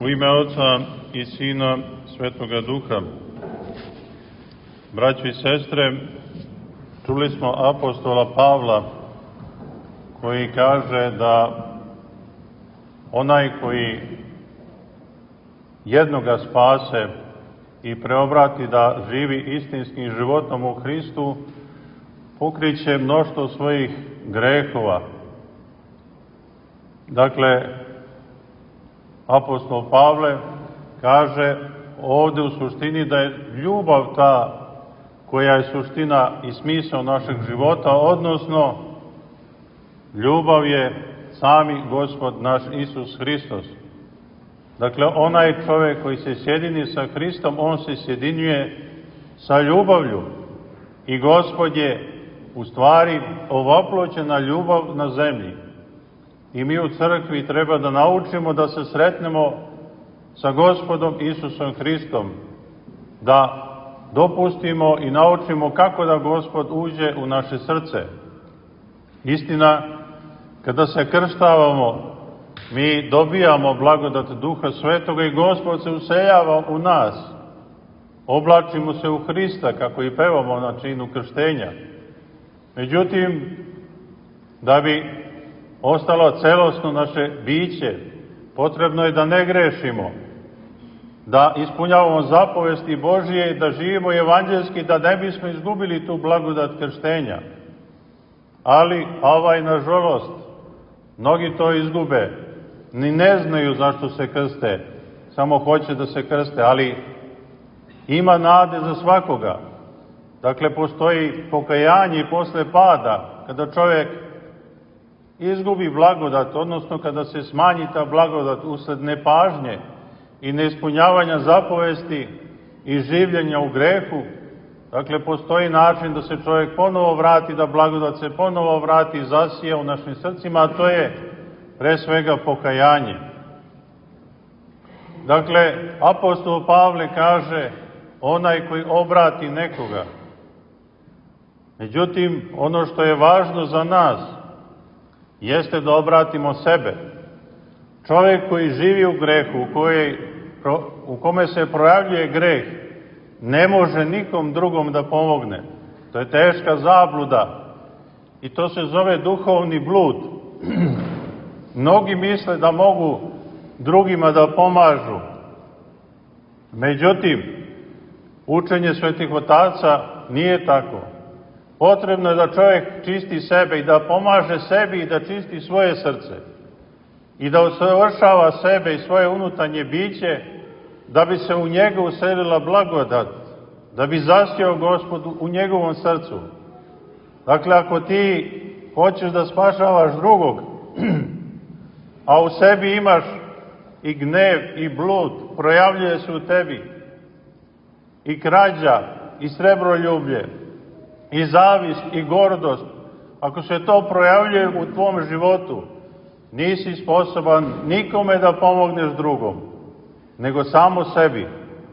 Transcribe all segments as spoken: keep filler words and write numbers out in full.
U ime Oca i Sina Svetoga Duha. Braćo i sestre, čuli smo apostola Pavla koji kaže da onaj koji jednoga spase i preobrati da živi istinskim životom u Hristu, pokriće mnoštvo svojih grehova. Dakle, apostol Pavle kaže ovde u suštini da je ljubav ta koja je suština i smisao našeg života, odnosno ljubav je sami Gospod naš Isus Hristos. Dakle, onaj čovjek koji se sjedini sa Hristom, on se sjedinjuje sa ljubavlju. I Gospod je u stvari ovoploćena ljubav na zemlji. I mi u crkvi treba da naučimo da se sretnemo sa Gospodom Isusom Hristom, da dopustimo i naučimo kako da Gospod uđe u naše srce. Istina, kada se krštavamo, mi dobijamo blagodat Duha Svetoga i Gospod se useljava u nas. Oblačimo se u Hrista, kako i pevamo na činu krštenja. Međutim, da bi ostalo celosno naše biće, potrebno je da ne grešimo, da ispunjavamo zapovesti Božije i da živimo evanđelski, da ne bismo izgubili tu blagodat krštenja. Ali, ovaj, nažalost, mnogi to izgube, ni ne znaju zašto se krste, samo hoće da se krste, ali ima nade za svakoga. Dakle, postoji pokajanje i posle pada, kada čovjek izgubi blagodat, odnosno kada se smanji ta blagodat usled nepažnje i neispunjavanja zapovesti i življenja u grehu. Dakle, postoji način da se čovjek ponovo vrati, da blagodat se ponovo vrati i zasija u našim srcima, a to je pre svega pokajanje. Dakle, apostol Pavle kaže onaj koji obrati nekoga. Međutim, ono što je važno za nas jeste da obratimo sebe. Čovjek koji živi u grehu, u, kojoj, u kome se projavljuje greh, ne može nikom drugom da pomogne. To je teška zabluda i to se zove duhovni blud. Mnogi misle da mogu drugima da pomažu. Međutim, učenje svetih otaca nije tako. Potrebno je da čovjek čisti sebe i da pomaže sebi i da čisti svoje srce i da usavršava sebe i svoje unutarnje biće da bi se u njega uselila blagodat, da bi zasjao Gospod u njegovom srcu. Dakle, ako ti hoćeš da spašavaš drugog, a u sebi imaš i gnev i blud, projavljuje se u tebi i krađa i srebroljublje, i zavist, i gordost, ako se to projavljuje u tvom životu, nisi sposoban nikome da pomogneš drugom, nego samo sebi.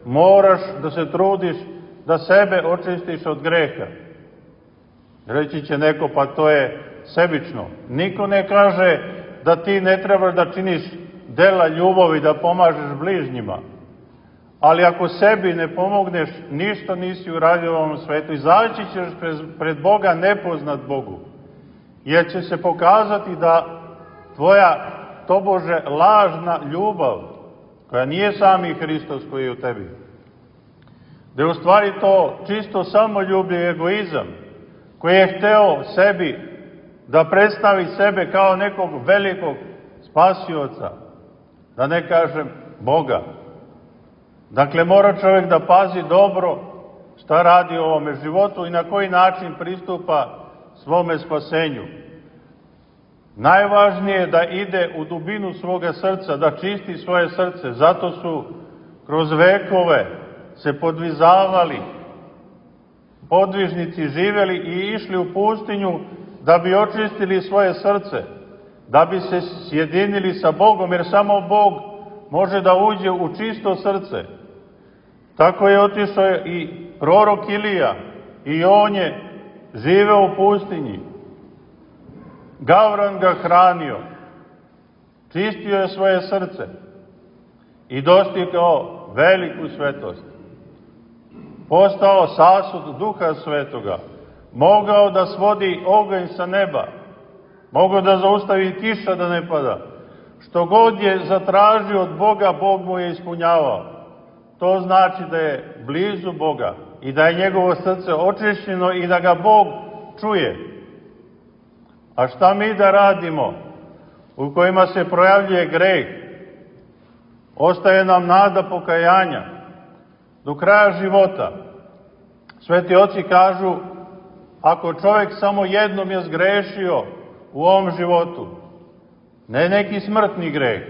Moraš da se trudiš da sebe očistiš od greha. Reći će neko, pa to je sebično. Niko ne kaže da ti ne trebaš da činiš dela ljubavi, da pomažeš bližnjima. Ali ako sebi ne pomogneš, ništa nisi uradio u ovom svetu. Izaći ćeš pred Boga nepoznat Bogu. Jer će se pokazati da tvoja, tobože, lažna ljubav, koja nije sami Hristos koji je u tebi, da je u stvari to čisto samoljublje i egoizam, koji je hteo sebi da predstavi sebe kao nekog velikog spasioca, da ne kažem Boga. Dakle, mora čovjek da pazi dobro šta radi u ovome životu i na koji način pristupa svome spasenju. Najvažnije je da ide u dubinu svoga srca, da čisti svoje srce. Zato su kroz vekove se podvizavali, podvižnici živeli i išli u pustinju da bi očistili svoje srce, da bi se sjedinili sa Bogom, jer samo Bog može da uđe u čisto srce. Tako je otišao i prorok Ilija i on je živeo u pustinji. Gavran ga hranio, čistio je svoje srce i dostigao veliku svetost. Postao sasud Duha Svetoga, mogao da svodi oganj sa neba, mogao da zaustavi kiša da ne pada. Što god je zatražio od Boga, Bog mu je ispunjavao. To znači da je blizu Boga i da je njegovo srce očišćeno i da ga Bog čuje. A šta mi da radimo u kojima se projavljuje greh? Ostaje nam nada pokajanja do kraja života. Sveti oci kažu, ako čovjek samo jednom je zgrešio u ovom životu, ne neki smrtni greh,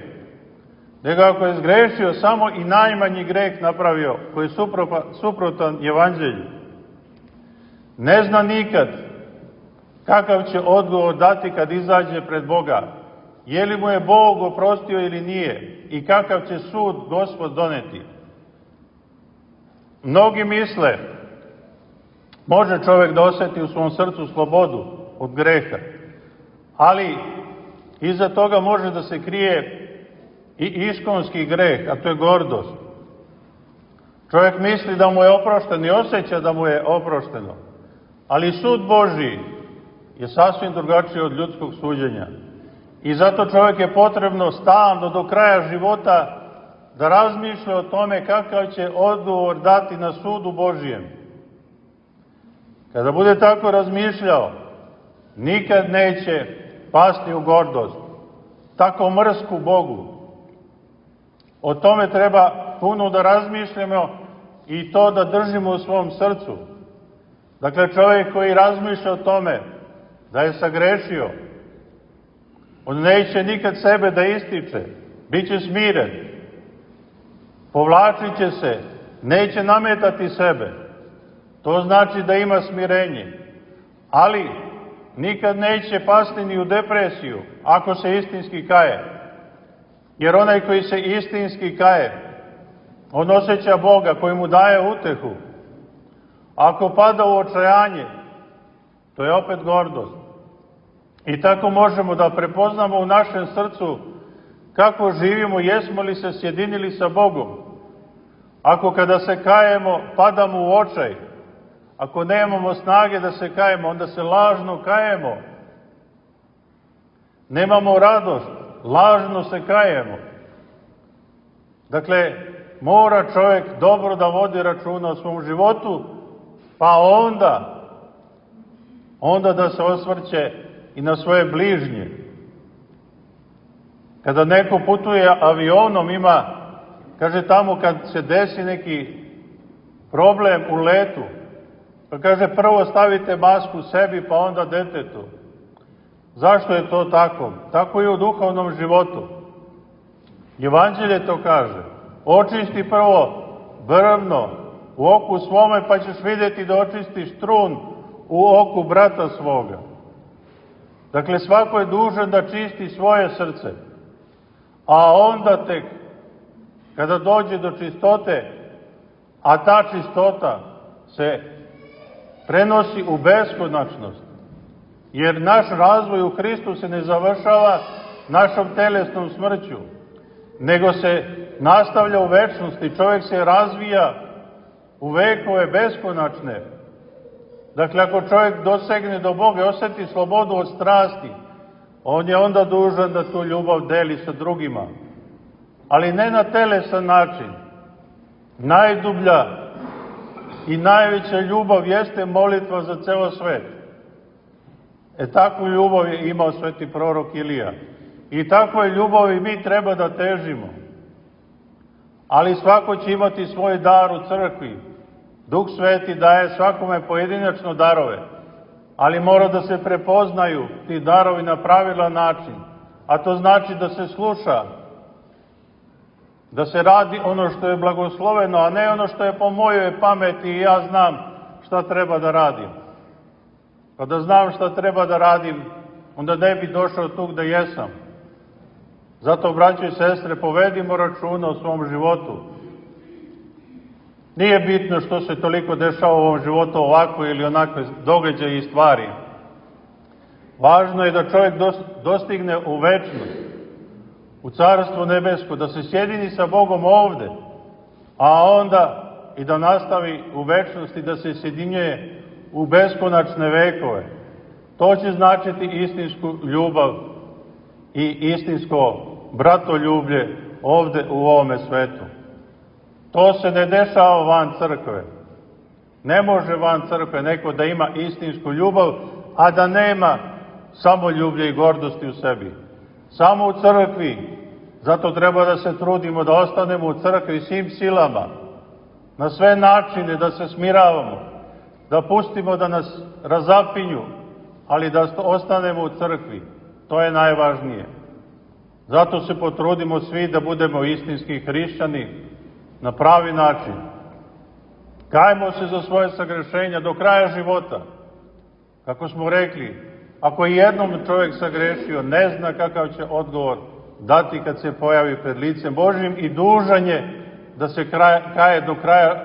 nego ako je zgrešio samo i najmanji greh napravio, koji je suprotan Evanđelju, ne zna nikad kakav će odgovor dati kad izađe pred Boga, je li mu je Bog oprostio ili nije i kakav će sud Gospod doneti. Mnogi misle, može čovjek da osjeti u svom srcu slobodu od greha, ali iza toga može da se krije i iskonski greh, a to je gordost. Čovjek misli da mu je oprošteno i osjeća da mu je oprošteno, ali sud Božiji je sasvim drugačiji od ljudskog suđenja. I zato čovjek je potrebno stalno do kraja života da razmišlja o tome kakav će odgovor dati na sudu Božijem. Kada bude tako razmišljao, nikad neće pasti u gordost, tako mrsku Bogu. O tome treba puno da razmišljamo i to da držimo u svom srcu. Dakle, čovjek koji razmišlja o tome da je sagrešio, on neće nikad sebe da ističe, bit će smiren, povlačit će se, neće nametati sebe. To znači da ima smirenje, ali nikad neće pasti ni u depresiju ako se istinski kaje. Jer onaj koji se istinski kaje, on osjeća Boga koji mu daje utehu. Ako pada u očajanje, to je opet gordost. I tako možemo da prepoznamo u našem srcu kako živimo, jesmo li se sjedinili sa Bogom. Ako kada se kajemo, padamo u očaj, ako nemamo snage da se kajemo, onda se lažno kajemo. Nemamo radost, lažno se kajemo. Dakle, mora čovjek dobro da vodi računa o svom životu, pa onda, onda da se osvrće i na svoje bližnje. Kada neko putuje avionom, ima, kaže tamo kad se desi neki problem u letu, pa kaže prvo stavite masku sebi pa onda detetu. Zašto je to tako? Tako je u duhovnom životu. Evanđelje to kaže. Očisti prvo brvno u oku svome pa ćeš vidjeti da očistiš trun u oku brata svoga. Dakle, svako je dužan da čisti svoje srce. A onda tek, kada dođe do čistote, a ta čistota se prenosi u beskonačnost, jer naš razvoj u Hristu se ne završava našom telesnom smrću, nego se nastavlja u večnosti, čovjek se razvija u vekove beskonačne. Dakle, ako čovjek dosegne do Boga i osjeti slobodu od strasti, on je onda dužan da tu ljubav deli sa drugima. Ali ne na telesan način. Najdublja i najveća ljubav jeste molitva za ceo svet. E takvu ljubav je imao sveti prorok Ilija. I takvoj ljubavi mi treba da težimo. Ali svako će imati svoj dar u crkvi. Duh Sveti daje svakome pojedinačno darove, ali mora da se prepoznaju ti darovi na pravilan način. A to znači da se sluša, da se radi ono što je blagosloveno, a ne ono što je po mojoj pameti i ja znam šta treba da radim. Pa da znam šta treba da radim, onda ne bi došao tu gde jesam. Zato, braćo i sestre, povedimo računa o svom životu. Nije bitno što se toliko dešava u ovom životu ovako ili onakve događaje i stvari. Važno je da čovjek dostigne u večnost. u Carstvo nebesko, da se sjedini sa Bogom ovde, a onda i da nastavi u večnosti da se sjedinjuje u beskonačne vekove. To će značiti istinsku ljubav i istinsko bratoljublje ovde u ovome svetu. To se ne dešava van crkve. Ne može van crkve neko da ima istinsku ljubav, a da nema samoljublje i gordosti u sebi. Samo u crkvi. Zato treba da se trudimo da ostanemo u crkvi svim silama, na sve načine da se smiravamo, da pustimo da nas razapinju, ali da ostanemo u crkvi. To je najvažnije. Zato se potrudimo svi da budemo istinski hrišćani na pravi način. Kajmo se za svoje sagrešenja do kraja života. Kako smo rekli, ako je jednom čovjek sagrešio, ne zna kakav će odgovor dati kad se pojavi pred licem Božjim i dužan je da se kaje do kraja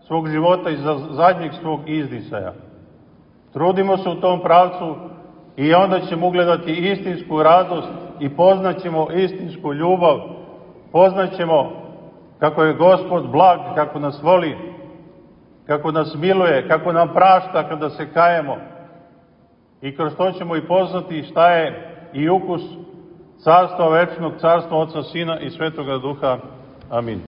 svog života i za zadnjeg svog izdisaja. Trudimo se u tom pravcu i onda ćemo ugledati istinsku radost i poznaćemo istinsku ljubav, poznaćemo kako je Gospod blag, kako nas voli, kako nas miluje, kako nam prašta kada se kajemo. I kroz to ćemo i poznati šta je i ukus Carstva večnog, Carstva Oca, Sina i Svetoga Duha. Amin.